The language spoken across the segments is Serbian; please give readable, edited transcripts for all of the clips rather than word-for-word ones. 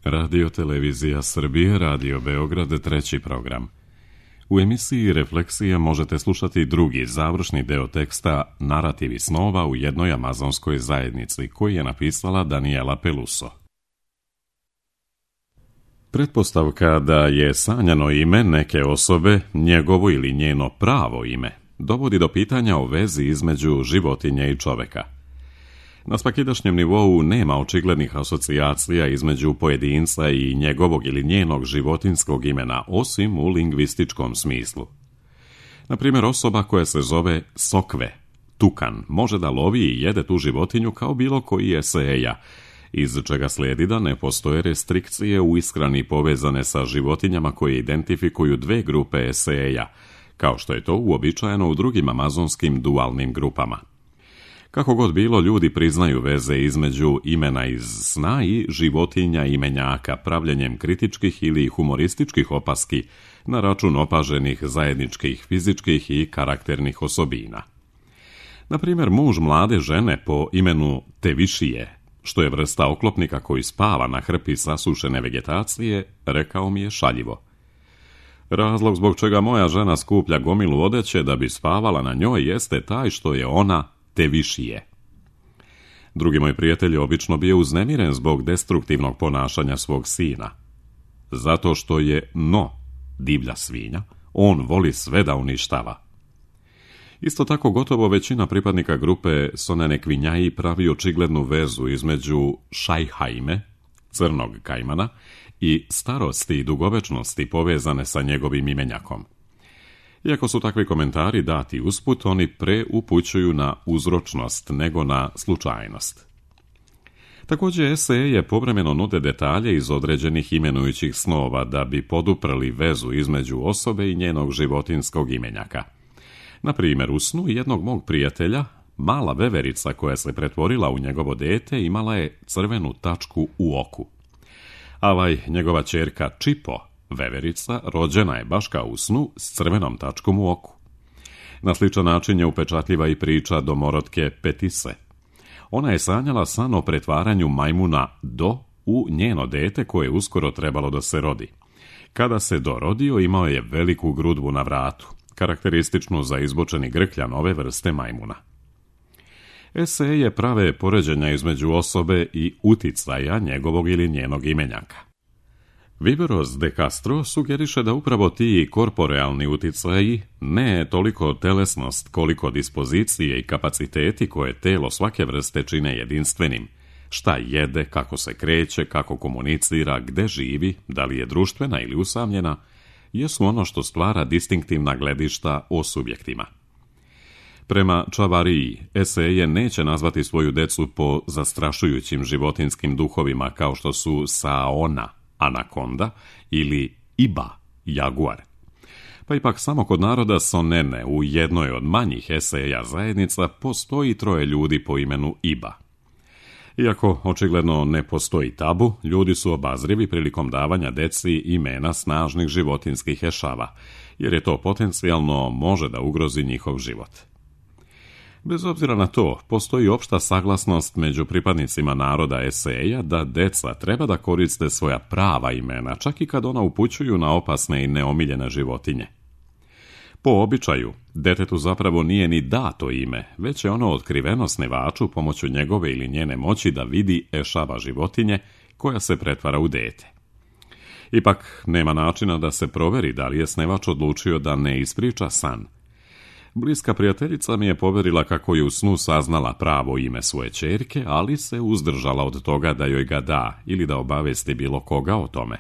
Radio Televizija Srbije, Radio Beograd, treći program. U emisiji Refleksija možete slušati drugi, završni deo teksta Narativi snova u jednoj amazonskoj zajednici, koji je napisala Daniela Peluso. Pretpostavka da je sanjano ime neke osobe, njegovo ili njeno pravo ime, dovodi do pitanja o vezi između životinje i čoveka. Na svakidašnjem nivou nema očiglednih asocijacija između pojedinca i njegovog ili njenog životinskog imena, osim u lingvističkom smislu. Na primjer, osoba koja se zove Sokve, tukan, može da lovi i jede tu životinju kao bilo koji eseja, iz čega slijedi da ne postoje restrikcije u ishrani povezane sa životinjama koje identifikuju dve grupe eseja, kao što je to uobičajeno u drugim amazonskim dualnim grupama. Kako god bilo, ljudi priznaju veze između imena iz sna i životinja imenjaka pravljenjem kritičkih ili humorističkih opaski na račun opaženih zajedničkih fizičkih i karakternih osobina. Na primjer, muž mlade žene po imenu Tevišije, što je vrsta oklopnika koji spava na hrpi sasušene vegetacije, rekao mi je šaljivo: razlog zbog čega moja žena skuplja gomilu odeće da bi spavala na njoj jeste taj što je ona Tevišije. Drugi moj prijatelj je obično bio uznemiren zbog destruktivnog ponašanja svog sina. Zato što je divlja svinja, on voli sve da uništava. Isto tako, gotovo većina pripadnika grupe Sonenekvinjaji pravi očiglednu vezu između Šajhajme, crnog kajmana, i starosti i dugovečnosti povezane sa njegovim imenjakom. Iako su takvi komentari dati usput, oni pre upućuju na uzročnost nego na slučajnost. Također, eseje povremeno nude detalje iz određenih imenujućih snova da bi poduprli vezu između osobe i njenog životinskog imenjaka. Na primjer, u snu jednog mog prijatelja, mala veverica koja se pretvorila u njegovo dete imala je crvenu tačku u oku. Njegova ćerka Čipo, veverica, rođena je baš kao u snu s crvenom tačkom u oku. Na sličan način je upečatljiva i priča domorotke Petise. Ona je sanjala san o pretvaranju majmuna u njeno dete koje je uskoro trebalo da se rodi. Kada se dorodio, imao je veliku grudvu na vratu, karakterističnu za izbočeni grkljan ove vrste majmuna. Eseje prave poređenja između osobe i uticaja njegovog ili njenog imenjaka. Viveros de Castro sugeriše da upravo ti korporealni uticaji, ne toliko telesnost koliko dispozicije i kapaciteti koje telo svake vrste čine jedinstvenim, šta jede, kako se kreće, kako komunicira, gde živi, da li je društvena ili usamljena, jesu ono što stvara distinktivna gledišta o subjektima. Prema Čavariji, eseje neće nazvati svoju decu po zastrašujućim životinskim duhovima kao što su Saona, anakonda, ili Iba, jaguar. Pa ipak samo kod naroda Sonene u jednoj od manjih eseja zajednica postoji 3 ljudi po imenu Iba. Iako očigledno ne postoji tabu, ljudi su obazrivi prilikom davanja deci imena snažnih životinskih ešava, jer je to potencijalno može da ugrozi njihov život. Bez obzira na to, postoji opšta saglasnost među pripadnicima naroda eseja da deca treba da koriste svoja prava imena, čak i kad ona upućuju na opasne i neomiljene životinje. Po običaju, detetu zapravo nije ni dato ime, već je ono otkriveno snevaču pomoću njegove ili njene moći da vidi ešava životinje koja se pretvara u dete. Ipak, nema načina da se proveri da li je snevač odlučio da ne ispriča san. Bliska prijateljica mi je poverila kako je u snu saznala pravo ime svoje ćerke, ali se uzdržala od toga da joj ga da ili da obavesti bilo koga o tome.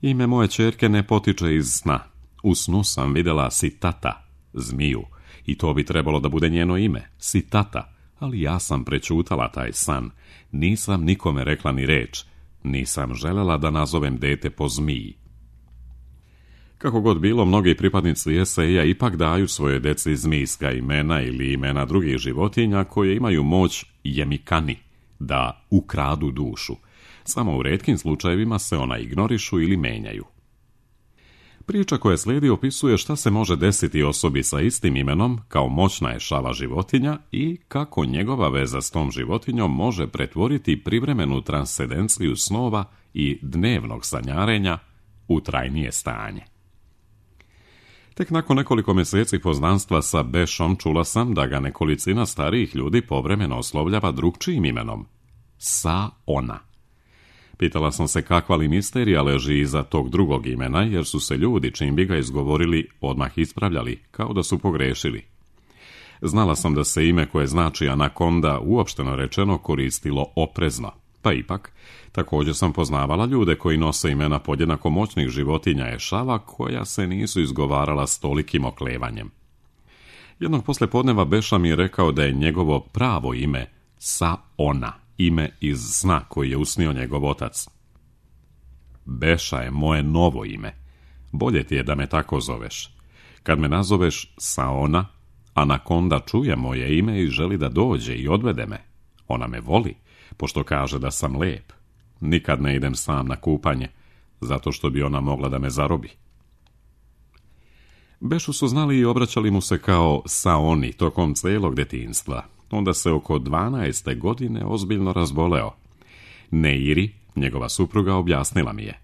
Ime moje ćerke ne potiče iz sna. U snu sam vidjela Sitata, zmiju, i to bi trebalo da bude njeno ime, Sitata, ali ja sam prećutala taj san. Nisam nikome rekla ni reč, nisam želela da nazovem dete po zmiji. Kako god bilo, mnogi pripadnici eseja ipak daju svoje deci zmijska imena ili imena drugih životinja koje imaju moć jemikani, da ukradu dušu. Samo u retkim slučajevima se ona ignorišu ili menjaju. Priča koja slijedi opisuje šta se može desiti osobi sa istim imenom kao moćna je šava životinja i kako njegova veza s tom životinjom može pretvoriti privremenu transcendenciju snova i dnevnog sanjarenja u trajnije stanje. Tek nakon nekoliko mjeseci poznanstva sa Bešom čula sam da ga nekolicina starijih ljudi povremeno oslovljava drugčijim imenom. Sa ona. Pitala sam se kakva li misterija leži iza tog drugog imena, jer su se ljudi, čim bi ga izgovorili, odmah ispravljali, kao da su pogrešili. Znala sam da se ime koje znači anakonda uopšteno rečeno koristilo oprezno, pa ipak, također sam poznavala ljude koji nose imena podjednako moćnih životinja ešava koja se nisu izgovarala s tolikim oklevanjem. Jednog poslijepodneva Beša mi je rekao da je njegovo pravo ime Sa ona, ime iz sna koji je usnio njegov otac. Beša je moje novo ime. Bolje ti je da me tako zoveš. Kad me nazoveš Sa ona, anakonda čuje moje ime i želi da dođe i odvede me. Ona me voli, pošto kaže da sam lep. Nikad ne idem sam na kupanje, zato što bi ona mogla da me zarobi. Bešu su znali i obraćali mu se kao Sa oni tokom cijelog detinjstva. Onda se oko 12. godine ozbiljno razboleo. Neiri, njegova supruga, objasnila mi je.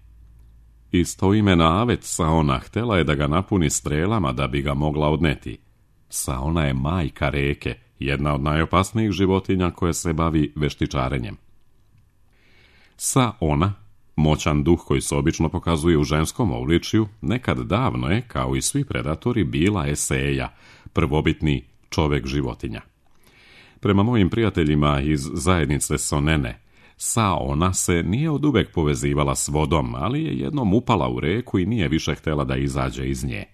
Istoimena avet Sa ona htjela je da ga napuni strelama da bi ga mogla odneti. Sa ona je majka reke, jedna od najopasnijih životinja koja se bavi veštičarenjem. Sa ona, moćan duh koji se obično pokazuje u ženskom obličju, nekad davno je, kao i svi predatori, bila eseja, prvobitni čovjek životinja. Prema mojim prijateljima iz zajednice Sonene, Sa ona se nije oduvek povezivala s vodom, ali je jednom upala u reku i nije više htjela da izađe iz nje.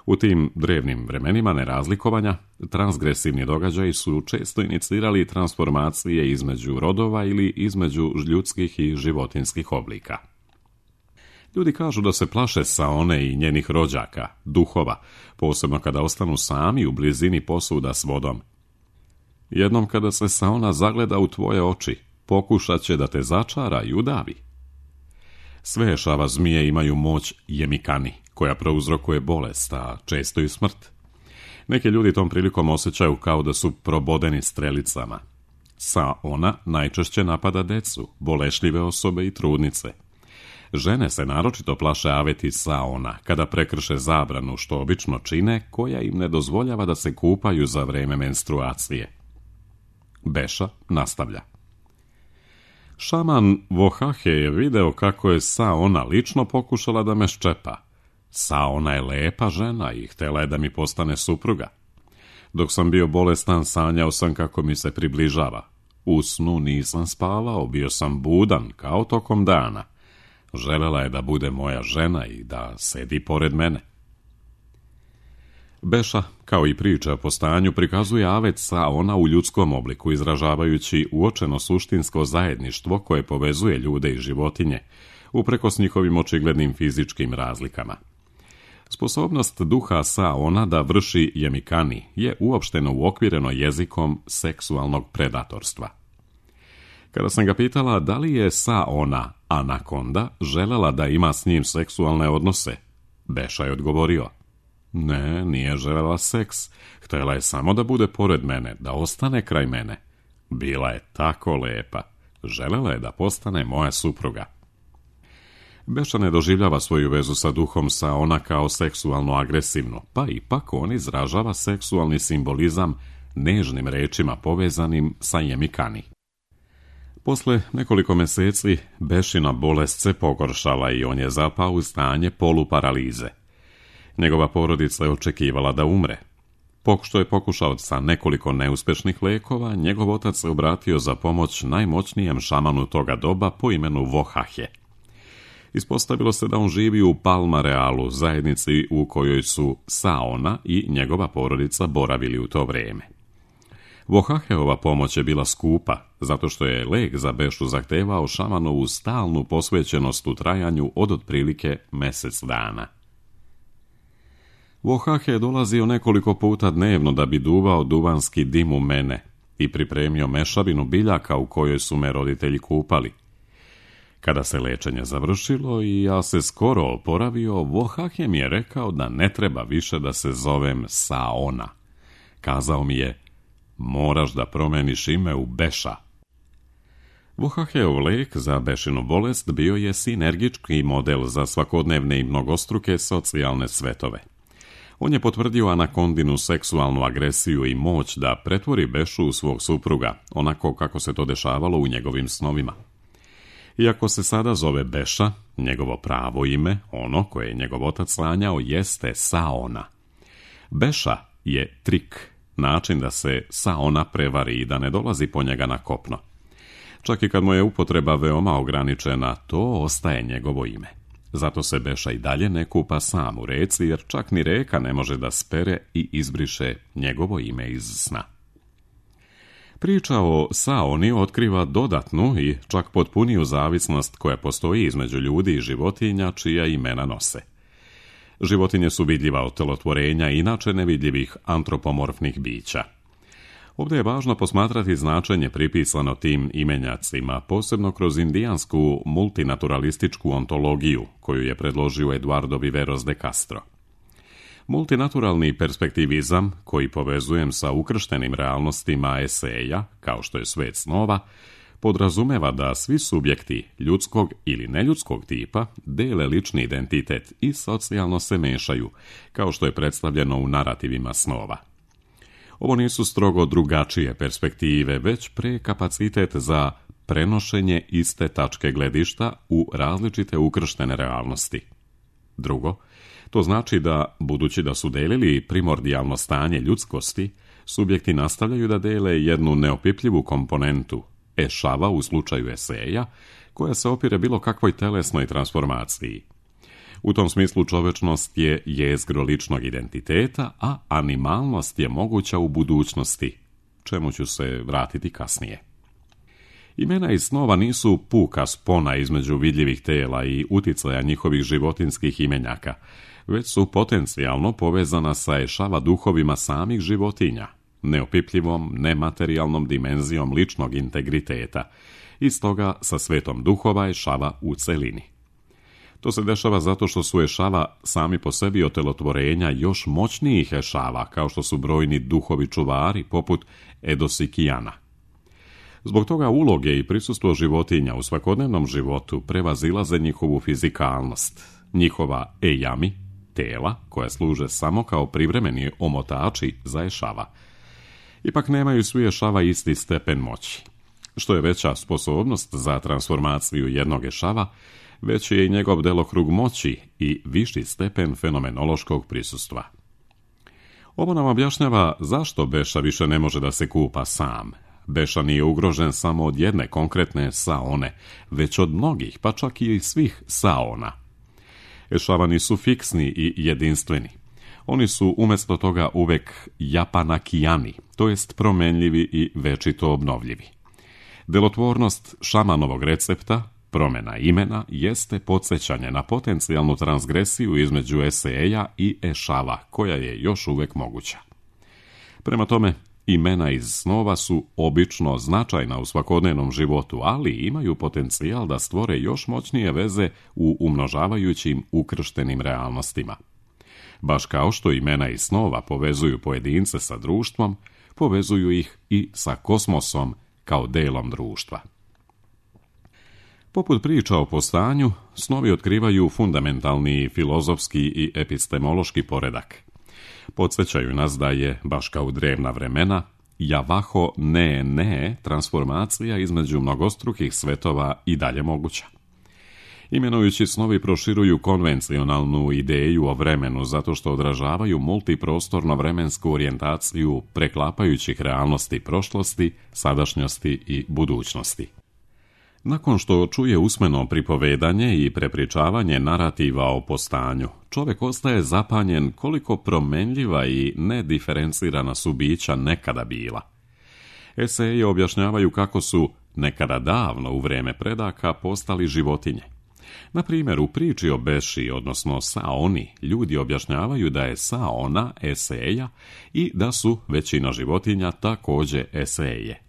U tim drevnim vremenima nerazlikovanja, transgresivni događaji su često inicirali transformacije između rodova ili između ljudskih i životinskih oblika. Ljudi kažu da se plaše Saone i njenih rođaka, duhova, posebno kada ostanu sami u blizini posuda s vodom. Jednom kada se Saona zagleda u tvoje oči, pokušat će da te začara i udavi. Sve ešava zmije imaju moć jemikani, koja prouzrokuje bolest, a često i smrt. Neki ljudi tom prilikom osjećaju kao da su probodeni strelicama. Sa ona najčešće napada decu, bolešljive osobe i trudnice. Žene se naročito plaše aveti Sa ona kada prekrše zabranu, što obično čine, koja im ne dozvoljava da se kupaju za vrijeme menstruacije. Beša nastavlja. Šaman Vohahe je video kako je Sa ona lično pokušala da me ščepa. Sa ona je lepa žena i htjela je da mi postane supruga. Dok sam bio bolestan, sanjao sam kako mi se približava. U snu nisam spavao, bio sam budan, kao tokom dana. Želela je da bude moja žena i da sedi pored mene. Beša, kao i priča o postanju, prikazuje avet Sa ona u ljudskom obliku, izražavajući uočeno suštinsko zajedništvo koje povezuje ljude i životinje, uprkos njihovim očiglednim fizičkim razlikama. Sposobnost duha Sa ona da vrši jemikani je uopšteno uokvireno jezikom seksualnog predatorstva. Kada sam ga pitala da li je Sa ona, anakonda, želela da ima s njim seksualne odnose, Beša je odgovorio: ne, nije želela seks, htjela je samo da bude pored mene, da ostane kraj mene. Bila je tako lepa, želela je da postane moja supruga. Beša ne doživljava svoju vezu sa duhom Sa ona kao seksualno agresivnu, pa ipak on izražava seksualni simbolizam nežnim rečima povezanim sa jemikani. Posle nekoliko mjeseci Bešina bolest se pogoršala i on je zapao u stanje poluparalize. Njegova porodica je očekivala da umre. Pošto je pokušao sa nekoliko neuspješnih lekova, njegov otac se obratio za pomoć najmoćnijem šamanu toga doba po imenu Vohahe. Ispostavilo se da on živi u Palmarealu, zajednici u kojoj su Sa ona i njegova porodica boravili u to vrijeme. Vohaheova pomoć je bila skupa, zato što je lek za Bešu zahtevao šamanovu stalnu posvećenost u trajanju od otprilike mjesec dana. Vohahe je dolazio nekoliko puta dnevno da bi duvao duvanski dim u mene i pripremio mešavinu biljaka u kojoj su me roditelji kupali. Kada se lečenje završilo i ja se skoro oporavio, Vohahje mi je rekao da ne treba više da se zovem Saona. Kazao mi je, moraš da promeniš ime u Beša. Vohahjeov lek za Bešinu bolest bio je sinergički model za svakodnevne i mnogostruke socijalne svetove. On je potvrdio Anakondinu seksualnu agresiju i moć da pretvori Bešu u svog supruga, onako kako se to dešavalo u njegovim snovima. Iako se sada zove Beša, njegovo pravo ime, ono koje je njegov otac sanjao, jeste Saona. Beša je trik, način da se Saona prevari i da ne dolazi po njega na kopno. Čak i kad mu je upotreba veoma ograničena, to ostaje njegovo ime. Zato se Beša i dalje ne kupa sam u reci, jer čak ni reka ne može da spere i izbriše njegovo ime iz sna. Priča o Saoni otkriva dodatnu i čak potpuniju zavisnost koja postoji između ljudi i životinja čija imena nose. Životinje su vidljiva otelotvorenja inače nevidljivih antropomorfnih bića. Ovdje je važno posmatrati značenje pripisano tim imenjacima, posebno kroz indijansku multinaturalističku ontologiju koju je predložio Eduardo Viveros de Castro. Multinaturalni perspektivizam, koji povezujem sa ukrštenim realnostima eseja, kao što je svet snova, podrazumeva da svi subjekti ljudskog ili neljudskog tipa dele lični identitet i socijalno se mešaju, kao što je predstavljeno u narativima snova. Ovo nisu strogo drugačije perspektive, već prekapacitet za prenošenje iste tačke gledišta u različite ukrštene realnosti. Drugo, to znači da, budući da su delili primordijalno stanje ljudskosti, subjekti nastavljaju da dele jednu neopipljivu komponentu, ešava u slučaju eseja, koja se opire bilo kakvoj telesnoj transformaciji. U tom smislu čovečnost je jezgro ličnog identiteta, a animalnost je moguća u budućnosti, čemu ću se vratiti kasnije. Imena iz snova nisu puka spona između vidljivih tela i uticaja njihovih životinskih imenjaka, već su potencijalno povezana sa ešava duhovima samih životinja, neopipljivom, nematerijalnom dimenzijom ličnog integriteta, i stoga sa svetom duhova ešava u celini. To se dešava zato što su ešava sami po sebi otelotvorenja još moćnijih ešava, kao što su brojni duhovi čuvari, poput Edosikijana. Zbog toga uloge i prisustvo životinja u svakodnevnom životu prevazilaze njihovu fizikalnost, njihova ejami, tela, koja služe samo kao privremeni omotači za ešava. Ipak nemaju svi ešava isti stepen moći. Što je veća sposobnost za transformaciju jednog ešava, veći je i njegov delokrug moći i viši stepen fenomenološkog prisustva. Ovo nam objašnjava zašto Beša više ne može da se kupa sam. Beša nije ugrožen samo od jedne konkretne Saone, već od mnogih, pa čak i svih Saona. Ešavani su fiksni i jedinstveni. Oni su umjesto toga uvek japanakijani, to jest promenljivi i večito obnovljivi. Delotvornost šamanovog recepta, promjena imena, jeste podsjećanje na potencijalnu transgresiju između eseja i ešava, koja je još uvek moguća. Prema tome, imena iz snova su obično značajna u svakodnevnom životu, ali imaju potencijal da stvore još moćnije veze u umnožavajućim ukrštenim realnostima. Baš kao što imena iz snova povezuju pojedince sa društvom, povezuju ih i sa kosmosom kao delom društva. Poput priča o postanju, snovi otkrivaju fundamentalni filozofski i epistemološki poredak. Podsjećaju nas da je, baš kao u drevna vremena, javaho ne transformacija između mnogostrukih svetova i dalje moguća. Imenujući snovi proširuju konvencionalnu ideju o vremenu zato što odražavaju multiprostorno-vremensku orijentaciju preklapajućih realnosti prošlosti, sadašnjosti i budućnosti. Nakon što čuje usmeno pripovedanje i prepričavanje narativa o postanju, čovjek ostaje zapanjen koliko promenljiva i nediferencirana su bića nekada bila. Eseji objašnjavaju kako su nekada davno u vrijeme predaka postali životinje. Na primjer, u priči o Beši, odnosno Saoni, ljudi objašnjavaju da je Saona eseja i da su većina životinja također eseje.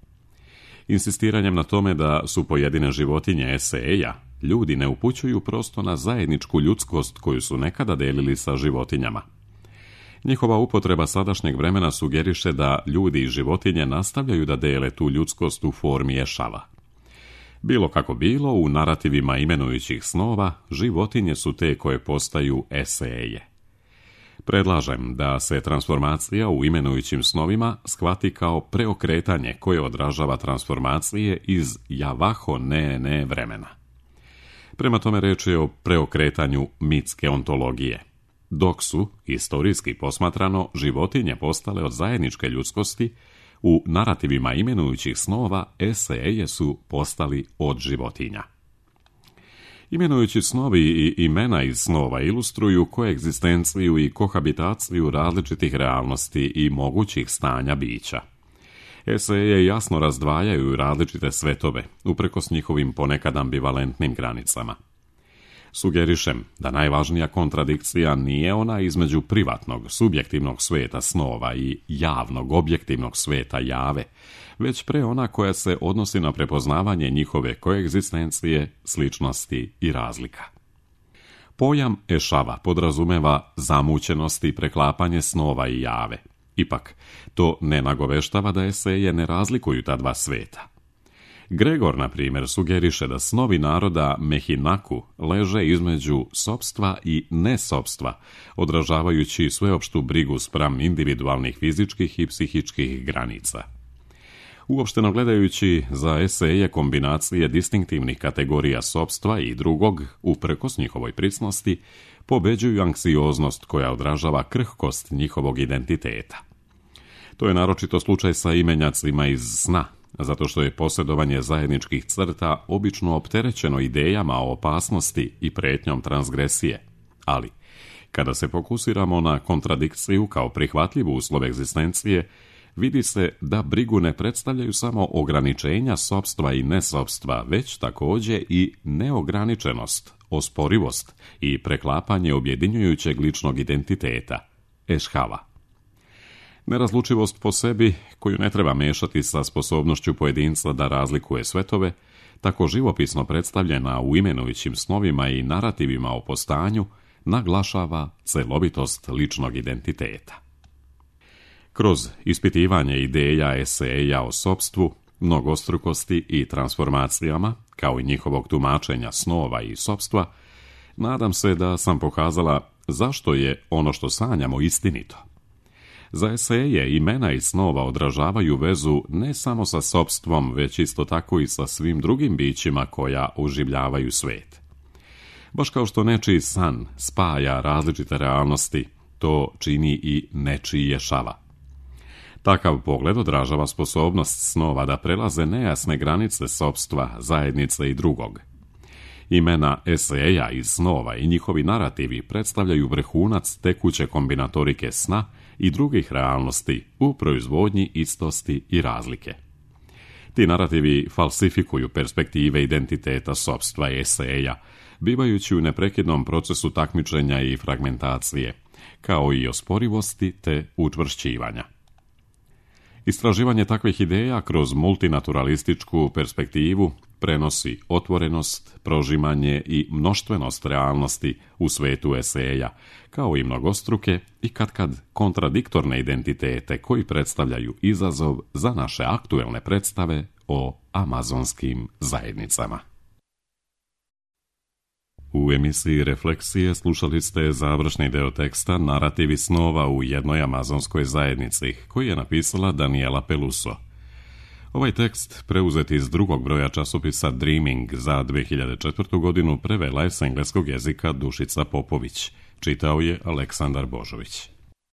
Insistiranjem na tome da su pojedine životinje eseja, ljudi ne upućuju prosto na zajedničku ljudskost koju su nekada delili sa životinjama. Njihova upotreba sadašnjeg vremena sugeriše da ljudi i životinje nastavljaju da dele tu ljudskost u formi ešava. Bilo kako bilo, u narativima imenujućih snova, životinje su te koje postaju eseje. Predlažem da se transformacija u imenujućim snovima shvati kao preokretanje koje odražava transformacije iz javaho ne vremena. Prema tome reč je o preokretanju mitske ontologije. Dok su, istorijski posmatrano, životinje postale od zajedničke ljudskosti, u narativima imenujućih snova eseje su postali od životinja. Imenujući snovi i imena iz snova ilustruju koegzistenciju i kohabitaciju različitih realnosti i mogućih stanja bića. Eseje jasno razdvajaju različite svetove, uprkos njihovim ponekad ambivalentnim granicama. Sugerišem da najvažnija kontradikcija nije ona između privatnog, subjektivnog sveta snova i javnog, objektivnog sveta jave, već pre ona koja se odnosi na prepoznavanje njihove koegzistencije, sličnosti i razlika. Pojam ešava podrazumeva zamućenost i preklapanje snova i jave. Ipak, to ne nagoveštava da eseje ne razlikuju ta dva sveta. Gregor, na primjer, sugeriše da snovi naroda Mehinaku leže između sopstva i nesopstva, odražavajući sveopštu brigu spram individualnih fizičkih i psihičkih granica. Uopšteno gledajući, za eseje kombinacije distinktivnih kategorija sopstva i drugog, uprkos njihovoj prisnosti, pobeđuju anksioznost koja odražava krhkost njihovog identiteta. To je naročito slučaj sa imenjacima iz sna, zato što je posjedovanje zajedničkih crta obično opterećeno idejama o opasnosti i pretnjom transgresije. Ali, kada se fokusiramo na kontradikciju kao prihvatljivu uslov egzistencije, vidi se da brigu ne predstavljaju samo ograničenja sopstva i nesopstva, već također i neograničenost, osporivost i preklapanje objedinjujućeg ličnog identiteta, ešhava. Nerazlučivost po sebi, koju ne treba mešati sa sposobnošću pojedinca da razlikuje svetove, tako živopisno predstavljena u imenujućim snovima i narativima o postanju, naglašava celovitost ličnog identiteta. Kroz ispitivanje ideja eseja o sopstvu, mnogostrukosti i transformacijama, kao i njihovog tumačenja snova i sopstva, nadam se da sam pokazala zašto je ono što sanjamo istinito. Za eseje imena i snova odražavaju vezu ne samo sa sopstvom, već isto tako i sa svim drugim bićima koja oživljavaju svet. Baš kao što nečiji san spaja različite realnosti, to čini i nečiji ešava. Takav pogled odražava sposobnost snova da prelaze nejasne granice sopstva, zajednice i drugog. Imena eseja iz snova i njihovi narativi predstavljaju vrhunac tekuće kombinatorike sna i drugih realnosti u proizvodnji istosti i razlike. Ti narativi falsifikuju perspektive identiteta sopstva i eseja, bivajući u neprekidnom procesu takmičenja i fragmentacije, kao i osporivosti te učvršćivanja. Istraživanje takvih ideja kroz multinaturalističku perspektivu prenosi otvorenost, prožimanje i mnoštvenost realnosti u svetu eseja, kao i mnogostruke i katkad kontradiktorne identitete koji predstavljaju izazov za naše aktuelne predstave o amazonskim zajednicama. U emisiji Refleksije slušali ste završni deo teksta Narativi snova u jednoj amazonskoj zajednici, koji je napisala Daniela Peluso. Ovaj tekst, preuzet iz drugog broja časopisa Dreaming za 2004. godinu, prevela je s engleskog jezika Dušica Popović. Čitao je Aleksandar Božović.